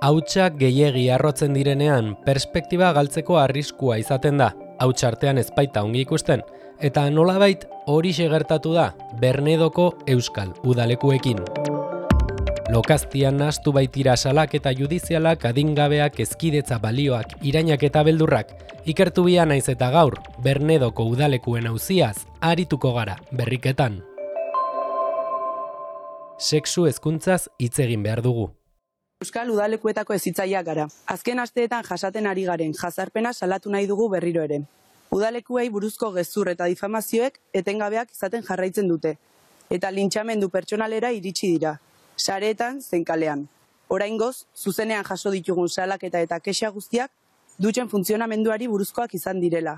Hautsak gehiegi arrotzen direnean, perspektiba galtzeko arriskua izaten da, hauts artean ez baita ongi ikusten, eta nolabait horixe gertatu da Bernedoko euskal udalekuekin. Lokaztian nahastu baitira salak eta judizialak adingabeak ezkidetza balioak irainak eta beldurrak, ikertu bia naiz eta gaur Bernedoko udalekuen auziaz arituko gara berriketan. Sexu hezkuntzaz hitz egin behar dugu. Euskal udalekuetako hezitzaileak gara. Azken asteetan jasaten ari garen jazarpena salatu nahi dugu berriro ere. Udalekuei buruzko gezur eta difamazioek etengabeak izaten jarraitzen dute. Eta lintxamendu pertsonalera iritsi dira. Sareetan zein kalean. Oraingoz, zuzenean jaso ditugun salaketa eta kexa guztiak dutxen funtzionamenduari buruzkoak izan direla.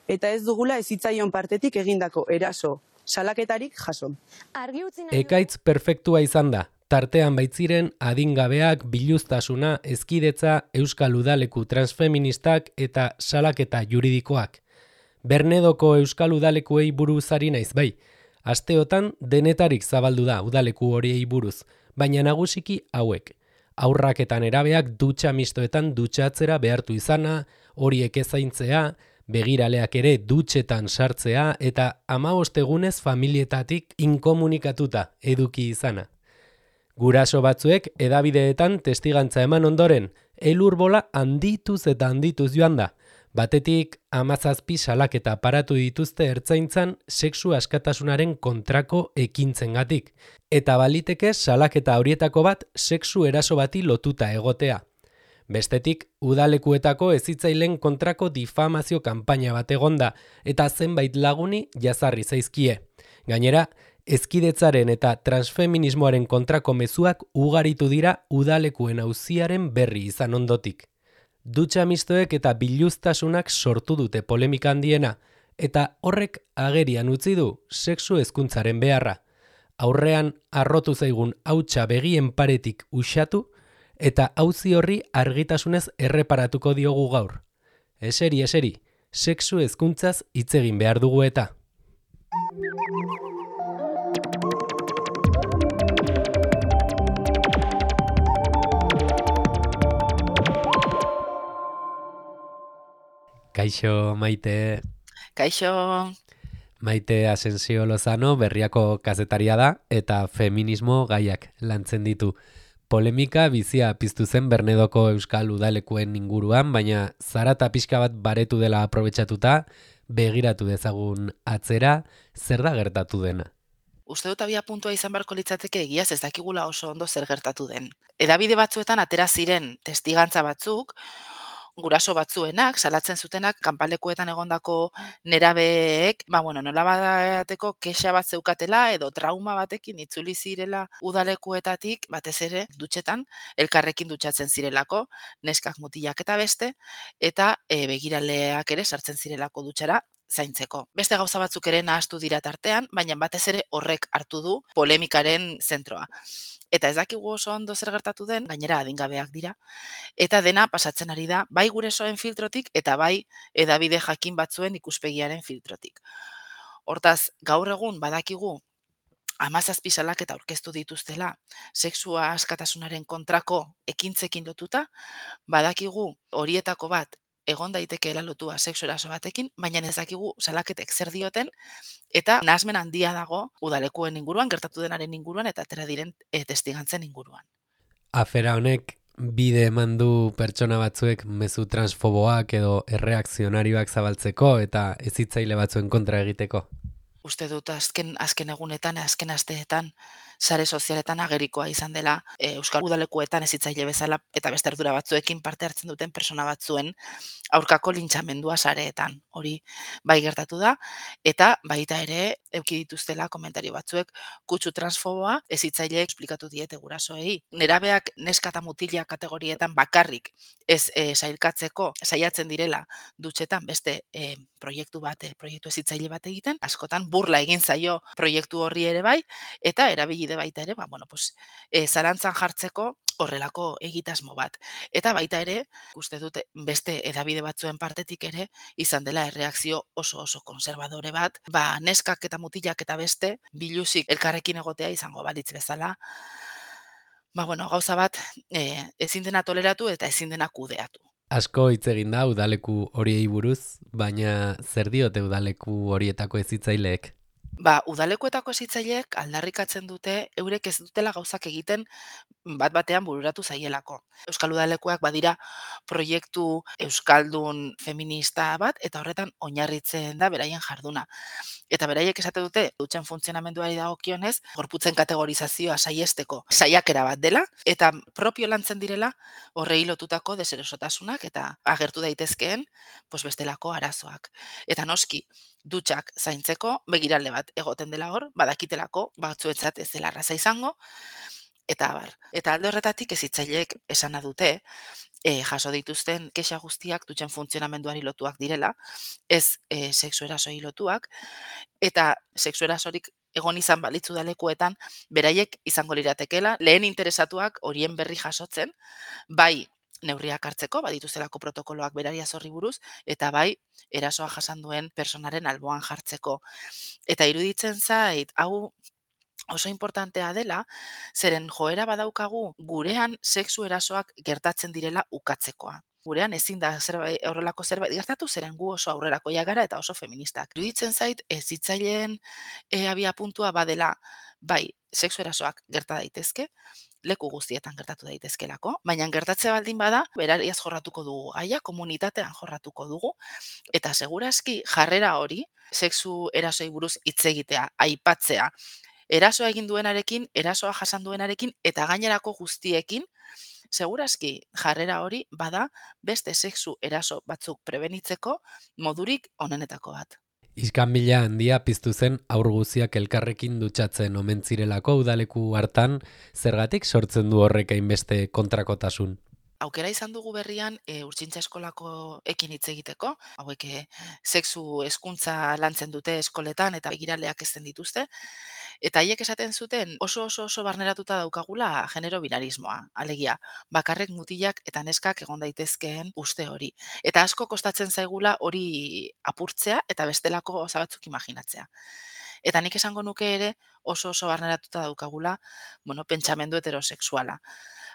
Eta ez dugula hezitzaileon partetik egindako eraso, salaketarik jaso. Ekaitz perfektua izan da. Tartean baitziren adingabeak, biluztasuna, ezkidetza, euskal udaleku transfeministak eta salaketa juridikoak. Bernedoko euskal udalekuei buruz ari naiz bai. Asteotan denetarik zabaldu da udaleku horiei buruz, baina nagusiki hauek. Haurrak eta nerabeak dutxa mistoetan dutxatzera behartu izana, horiek ezaintzea, begiraleak ere dutxetan sartzea eta 15 egunez familietatik inkomunikatuta eduki izana. Guraso batzuek hedabideetan testigantza eman ondoren, elurbola handituz eta handituz joan da. Batetik 17 salaketa paratu dituzte ertzaintzan sexu askatasunaren kontrako ekintzengatik. Eta baliteke salaketa horietako bat sexu eraso bati lotuta egotea. Bestetik, udalekuetako hezitzaileen kontrako difamazio kanpaina bat egonda eta zenbait laguni jazarri zaizkie. Gainera, ezkidetzaren eta transfeminismoaren kontrako mezuak ugaritu dira udalekuen auziaren berri izan ondotik. Dutxa mistoek eta biluztasunak sortu dute polemika handiena, eta horrek agerian utzi du sexu hezkuntzaren beharra. Aurrean arrotu zaigun hautsa begien paretik uxatu, eta auzi horri argitasunez erreparatuko diogu gaur. Eseri, sexu hezkuntzaz hitz egin behar dugu eta. Kaixo, Maite. Kaixo. Maite Asensio Lozano berriako kazetaria da eta feminismo gaiak lantzen ditu. Polemika bizia piztu zen Bernedoko euskal udalekuen inguruan, baina zarata pixka bat baretu dela aprobetxatuta, begiratu dezagun atzera, zer da gertatu dena? Uste dut abia puntua izan beharko litzateke egiaz ez dakigula oso ondo zer gertatu den. Hedabide batzuetan atera ziren testigantza batzuk, guraso batzuenak, salatzen zutenak, kanpalekuetan egondako nerabeek, nola bateko kexa bat zeukatela edo trauma batekin itzuli zirela udalekuetatik, batez ere, dutxetan, elkarrekin dutxatzen zirelako, neskak mutilak eta beste, eta begiraleak ere sartzen zirelako dutxara, zaintzeko. Beste gauza batzuk ere nahastu dira tartean, baina batez ere horrek hartu du polemikaren zentroa. Eta ez dakigu oso ondo zer gertatu den, gainera adingabeak dira, eta dena pasatzen ari da, bai gurasoen filtrotik eta bai hedabide jakin batzuen ikuspegiaren filtrotik. Hortaz, gaur egun badakigu 17 salaketa aurkeztu dituztela sexua askatasunaren kontrako ekintzekin lotuta, badakigu horietako bat egon daitekeela lotua sexu eraso batekin, baina ez dakigu salaketek zer dioten, eta nahasmen handia dago udalekuen inguruan, gertatu denaren inguruan, eta atera diren testigantzen inguruan. Afera honek bide eman du pertsona batzuek mezu transfoboak edo erreakzionarioak zabaltzeko eta hezitzaile batzuen kontra egiteko. Uste dut azken egunetan, azken asteetan, sare sozialetan agerikoa izan dela euskal udalekuetan hezitzaile bezala eta beste ardura batzuekin parte hartzen duten pertsona batzuen aurkako lintxamendua sareetan. Hori bai gertatu da, eta baita ere eduki dituztela komentario batzuek kutsu transfoboa hezitzaile esplikatu diete gurasoei. Nerabeak neska eta mutila kategorietan bakarrik ez sailkatzeko saiatzen direla dutxetan beste proiektu hezitzaile bat egiten, askotan burla egin zaio proiektu horri ere bai, eta erabilide baita ere, zalantzan jartzeko horrelako egitasmo bat. Eta baita ere, uste dute beste hedabide batzuen partetik ere, izan dela erreakzio oso konservadore bat, neskak eta mutilak eta beste, biluzik elkarrekin egotea izango balitz bezala, Gauza bat ezin dena toleratu eta ezin dena kudeatu. Asko hitz egin da udaleku horiei buruz, baina zer diote udaleku horietako hezitzaileek? Udalekuetako hezitzaileek aldarrikatzen dute eurek ez dutela gauzak egiten bat-batean bururatu zaielako. Euskal Udalekuak badira proiektu euskaldun feminista bat eta horretan oinarritzen da beraien jarduna. Eta beraiek esate dute dutxen funtzionamenduari dagokionez, gorputzen kategorizazioa saiesteko saiakera bat dela eta propio lantzen direla horrei lotutako deserosotasunak eta agertu daitezkeen bestelako arazoak. Eta noski, dutxak zaintzeko begirale bat egoten dela hor, badakitelako batzuetzat ez dela erraza izango, eta abar. Eta alde horretatik hezitzaileek esana dute, jaso dituzten kexa guztiak dutxen funtzionamenduari lotuak direla, ez sexu erasoi lotuak, eta sexu erasorik egon izan balitzu udalekuetan, beraiek izango liratekela, lehen interesatuak horien berri jasotzen, bai neurriak hartzeko, badituztelako protokoloak berariaz horri buruz, eta bai erasoa jasan duen personaren alboan jartzeko. Eta iruditzen zait, hau oso importantea dela, zeren joera badaukagu gurean sexu erasoak gertatzen direla ukatzekoa. Gurean ezin da horrelako zerbait gertatu, zeren gu oso aurrerakoiak gara eta oso feministak. Iruditzen zait, hezitzaileen abia puntua badela, bai, sexu erasoak gerta daitezke, leku guztietan gertatu daitezkelako, baina gertatze baldin bada, berariaz jorratuko dugu gaia, komunitatean jorratuko dugu, eta segurazki jarrera hori, sexu erasoi buruz hitz egitea, aipatzea, erasoa egin duenarekin, erasoa jasan duenarekin, eta gainerako guztiekin, segurazki jarrera hori bada beste sexu eraso batzuk prebenitzeko modurik onenetako bat. Iskanbila handia piztu zen haur guziak elkarrekin dutxatzen omen zirelako udaleku hartan, zergatik sortzen du horrek hainbeste kontrakotasun? Aukera izan dugu berrian urtsintza eskolako ekin hitz egiteko, hauek sexu hezkuntza lantzen dute eskoletan eta begiraleak ezten dituzte, eta haiek esaten zuten oso barneratuta daukagula genero binarismoa, alegia, bakarrek mutilak eta neskak egon daitezkeen uste hori. Eta asko kostatzen zaigula hori apurtzea eta bestelako gauza batzuk imaginatzea. Eta nik esango nuke ere oso barneratuta daukagula, pentsamendu heterosexuala.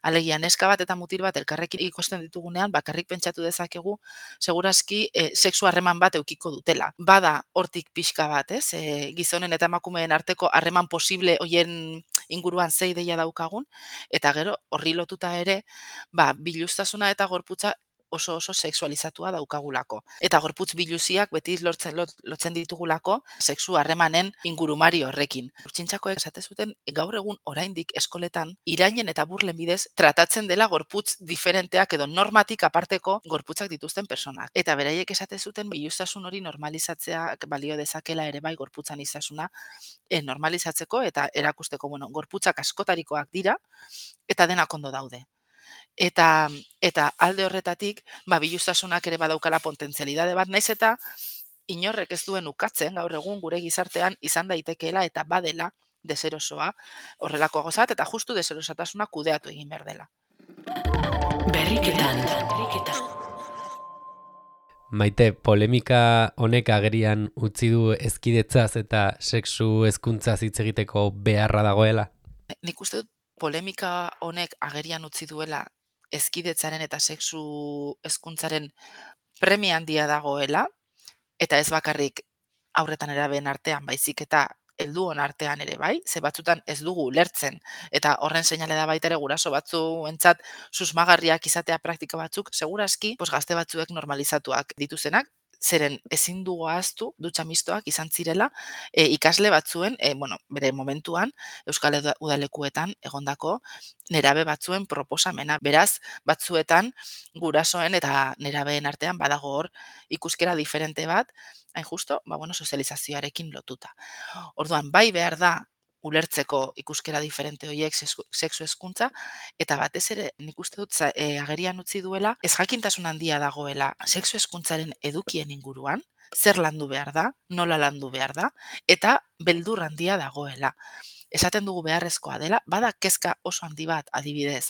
Alegia, neska bat eta mutil bat elkarrekin ikusten ditugunean, bakarrik pentsatu dezakegu, segurazki sexu harreman bat eukiko dutela. Bada hortik pixka bat, ez? Gizonen eta emakumeen arteko harreman posible hoien inguruan zei deia daukagun, eta gero horri lotuta ere, biluztasuna eta gorputza oso sexualizatua daukagulako. Eta gorputz biluziak beti lotzen ditugulako sexu harremanen ingurumari horrekin. Urtsintxakoek esate zuten gaur egun oraindik eskoletan irainen eta burlen bidez tratatzen dela gorputz diferenteak edo normatik aparteko gorputzak dituzten personak. Eta beraiek esate zuten biluztasun hori normalizatzeak balio dezakela ere bai gorputzan izasuna normalizatzeko eta erakusteko gorputzak askotarikoak dira eta denak ondo daude. Eta alde horretatik, biluztasunak ere badaukala potentzialidade bat, naiz eta inorrek ez duen ukatzen gaur egun gure gizartean izan daitekeela eta badela deserosoa horrelako gozat eta justu deserosatasuna kudeatu egin behar dela. Berriketan. Maite, polemika honek agerian utzi du hezkidetzaz eta sexu hezkuntzaz hitz egiteko beharra dagoela? Nik uste dut polemika honek agerian utzi duela hezkidetzaren eta sexu hezkuntzaren premia handia dagoela, eta ez bakarrik aurretan nerabeen artean, baizik eta helduon artean ere bai, ze batzutan ez dugu ulertzen, eta horren seinale da baita ere guraso batzuentzat susmagarriak izatea praktika batzuk, segurazki gazte batzuek normalizatuak dituzenak, zeren ezin dugu ahaztu dutxa mistoak izan zirela ikasle batzuen, bere momentuan Euskal Udalekuetan egondako nerabe batzuen proposamena. Beraz, batzuetan gurasoen eta nerabeen artean badago hor ikuskera diferente bat, hain justo, sozializazioarekin lotuta. Orduan, bai behar da ulertzeko ikuskera diferente horiek sexu hezkuntza, eta batez ere nik uste dut agerian utzi duela, ez jakintasun handia dagoela sexu hezkuntzaren edukien inguruan, zer landu behar da, nola landu behar da, eta beldur handia dagoela. Esaten dugu beharrezkoa dela, bada kezka oso handi bat adibidez,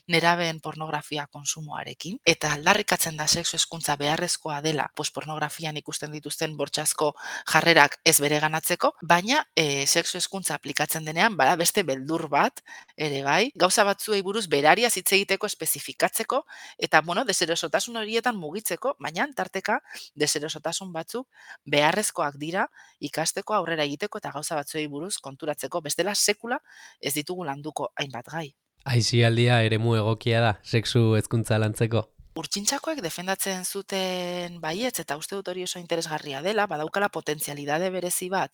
nerabeen pornografia konsumoarekin, eta aldarrikatzen da sexu hezkuntza beharrezkoa dela, pornografian ikusten dituzten bortxazko jarrerak ez bereganatzeko, baina sexu hezkuntza aplikatzen denean, bada beste beldur bat, ere bai, gauza batzuei buruz berariaz hitz egiteko espezifikatzeko, eta deserosotasun horietan mugitzeko, baina tarteka deserosotasun batzuk beharrezkoak dira ikasteko, aurrera egiteko eta gauza batzuei buruz konturatzeko, bestela sekula ez ditugu landuko hainbat gai. Aisialdia eremu egokia da, sexu hezkuntza lantzeko? Urtsintxakoek defendatzen zuten baietz, eta uste dut hori oso interesgarria dela, badaukala potentzialidade berezi bat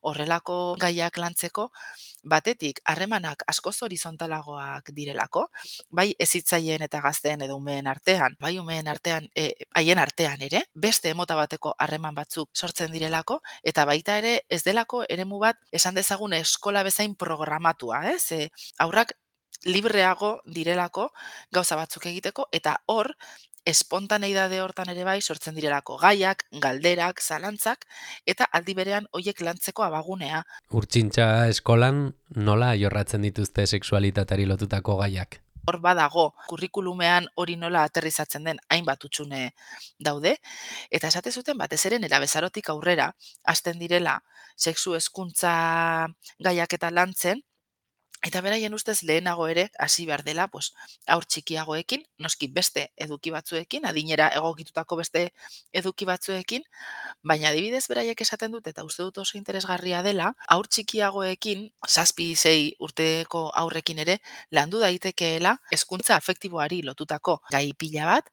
horrelako gaiak lantzeko, batetik harremanak askoz horizontalagoak direlako, bai hezitzaileen eta gazteen edo umeen artean, bai umeen artean, haien artean ere, beste mota bateko harreman batzuk sortzen direlako, eta baita ere ez delako eremu bat esan dezagun eskola bezain programatua, aurrak libreago direlako gauza batzuk egiteko, eta hor, espontaneidade hortan ere bai sortzen direlako gaiak, galderak, zalantzak, eta aldi berean hoiek lantzeko abagunea. Urtsintxa eskolan nola jorratzen dituzte sexualitateari lotutako gaiak? Hor badago, kurrikulumean hori nola aterrizatzen den hainbat hutsune daude, eta esate zuten batez ere nerabezarotik aurrera hasten direla sexu hezkuntza gaiak eta lantzen, eta beraien ustez lehenago ere hasi behar dela, haur txikiagoekin, noski beste eduki batzuekin, adinera egokitutako beste eduki batzuekin, baina adibidez beraiek esaten dut, eta uste dut oso interesgarria dela, haur txikiagoekin, 7-6 urteko aurrekin ere, landu daitekeela hezkuntza afektiboari lotutako gai pila bat,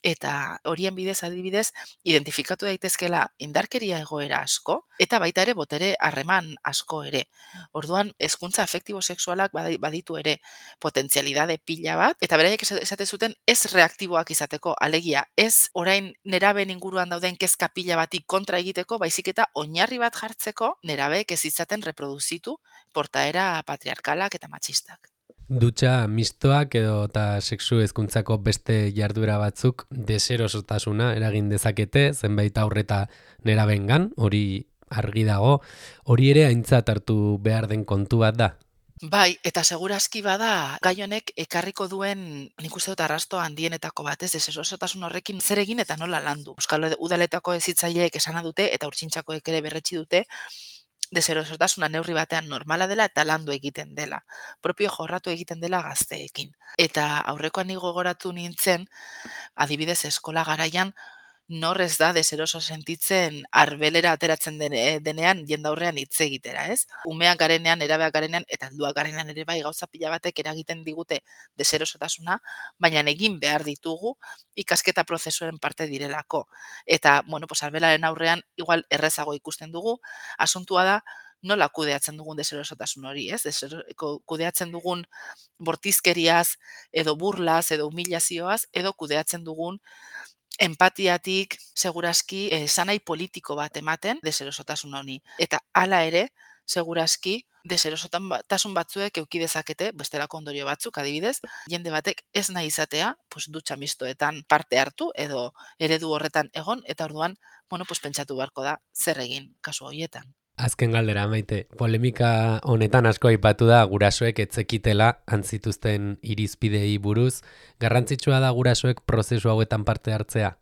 eta horien bidez adibidez, identifikatu daitezkela indarkeria egoera asko, eta baita ere botere harreman asko ere. Orduan, hezkuntza afektibo sexualak baditu ere potentzialidade pila bat, eta beraiek esate zuten ez reaktiboak izateko, alegia, ez orain nerabeen inguruan dauden kezka pila batik kontra egiteko, baizik eta oinarri bat jartzeko nerabeek ez izaten reproduzitu portaera patriarkalak eta matxistak. Dutxa mistoak edo eta sexu hezkuntzako beste jarduera batzuk deserosotasuna eragin dezakete, zenbait aurreta nerabengan, hori argi dago, hori ere aintzat hartu behar den kontu bat da. Bai, eta segurazki bada gai honek ekarriko duen, nik uste dut arrasto handienetako batez, deserosotasun horrekin zer egin eta nola landu. Euskal Udaletako hezitzaileek esana dute eta urtsintxakoek ere berretsi dute, deserosotasuna neurri batean normala dela eta landu egiten dela. Propio jorratu egiten dela gazteekin. Eta aurrekoan ni gogoratu nintzen, adibidez eskola garaian, nor ez da deseroso sentitzen arbelera ateratzen denean jendaurrean hitz egitera, ez? Umeak garenean, nerabeak garenean, eta helduak garenean ere bai gauza pila batek eragiten digute deserosotasuna, baina egin behar ditugu ikasketa prozesuen parte direlako. Eta, arbelaren aurrean igual errezago ikusten dugu, asuntua da nola kudeatzen dugun deserosotasun hori, ez? Kudeatzen dugun bortizkeriaz, edo burlaz, edo humilazioaz, edo kudeatzen dugun empatiatik, segurazki, esanai politiko bat ematen deserosotasun honi. Eta hala ere, segurazki, deserosotasun batzuek eduki dezakete, bestelako ondorio batzuk, adibidez, jende batek ez nahi izatea, dutxa mistoetan parte hartu, edo eredu horretan egon, eta orduan, pentsatu beharko da, zer egin kasu horietan. Azken galdera, Maite, polemika honetan asko aipatu da gurasoek etzekitela antzituzten irizpidei buruz. Garrantzitsua da gurasoek prozesu hauetan parte hartzea?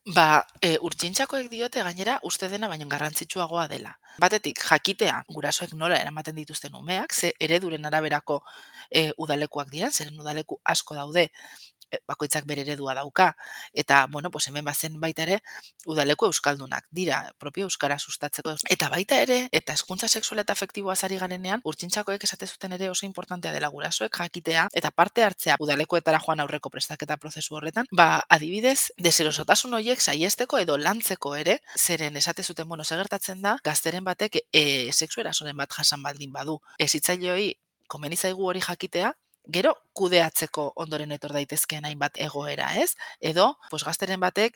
Urtsintxakoek diote gainera uste dena baino garrantzitsuagoa dela. Batetik, jakitea gurasoek nola eramaten dituzten umeak, ze ereduren araberako udalekuak dira, zeren udaleku asko daude, bakoitzak bere eredua dauka, eta, hemen bazen baita ere, udaleku euskaldunak dira, propio euskara sustatzeko. Eta baita ere, eta hezkuntza sexuala eta afektiboa ari garenean, urtsintxakoek esate zuten ere oso importantea dela gurasoek jakitea, eta parte hartzea udalekuetara joan aurreko prestaketa prozesu horretan, adibidez, deserosotasun horiek saiesteko edo lantzeko ere, zeren esate zuten, segertatzen da, gazteren batek sexu erasoren bat jasan baldin badu. Hezitzaileoi komeni zaigu hori jakitea, gero kudeatzeko ondoren etor daitezkeen hainbat egoera, ez? Edo, gazteren batek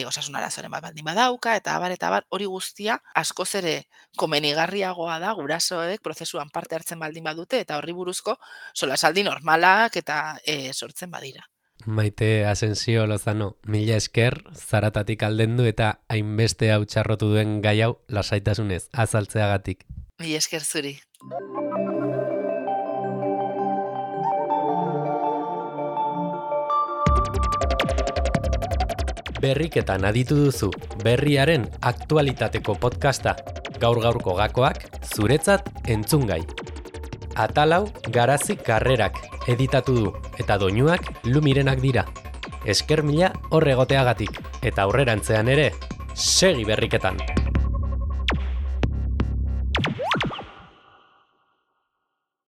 osasun arazoren bat baldin badauka, eta abar, hori guztia askoz ere komenigarriagoa da gurasoek prozesuan parte hartzen baldin badute, eta horri buruzko solasaldi normalak eta sortzen badira. Maite Asensio Lozano, mila esker, zaratatik aldendu eta hainbeste hau txarrotu duen gai hau lasaitasunez azaltzeagatik. Mila esker zuri. Berriketan aditu duzu berriaren aktualitateko podcasta. Gaur-gaurko gakoak zuretzat entzungai. Atalau Garazi Karrerak editatu du eta doinuak Lumirenak dira. Esker mila hor egoteagatik eta aurrerantzean ere segi berriketan.